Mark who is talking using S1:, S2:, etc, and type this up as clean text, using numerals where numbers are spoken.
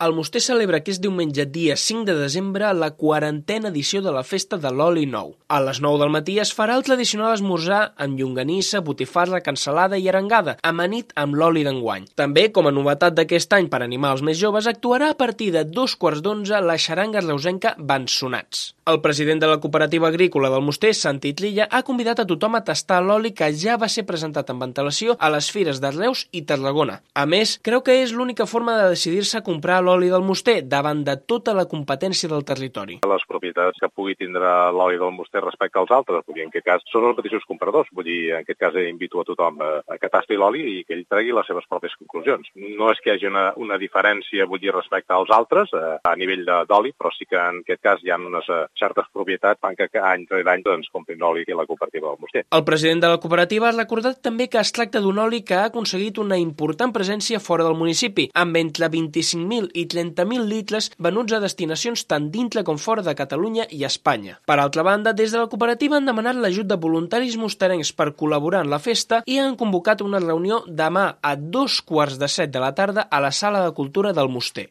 S1: El Moster celebra aquest diumenge, dia 5 de desembre, la 40a edició de la Festa de l'Oli Nou. A les 9 del matí es farà el tradicional esmorzar amb llonganissa, botifarra, cansalada i arengada, amanit amb l'oli d'enguany. També, com a novetat d'aquest any per animar els més joves, actuarà a partir de 2:15 la xaranga reusenca Bensonats. El president de la cooperativa agrícola del Moster, Santi Trilla, ha convidat a tothom a tastar l'oli que ja va ser presentat amb antelació a les fires de Reus i Tarragona. A més, creu que és l'única forma de decidir-se a comprar l'oli del Moster davant de tota la competència del territori.
S2: Les propietats que pugui tindre l'oli del Moster respecte als altres, vull dir, en aquest cas són els mateixos compradors, vull dir, en aquest cas invito a tothom a que tasti l'oli i que ell tregui les seves pròpies conclusions. No és que hi hagi una diferència, vull dir, respecte als altres a nivell d'oli, però sí que en aquest cas hi ha unes certes propietats fan que any rere any doncs, comprin l'oli aquí a la cooperativa del Moster.
S1: El president de la cooperativa ha recordat també que es tracta d'un oli que ha aconseguit una important presència fora del municipi, amb entre 25.000 i 30.000 litres venuts a destinacions tant dintre com fora de Catalunya i Espanya. Per altra banda, des de la cooperativa han demanat l'ajut de voluntaris mosterencs per col·laborar en la festa i han convocat una reunió demà a 2:15 de la tarda a la Sala de Cultura del Moster.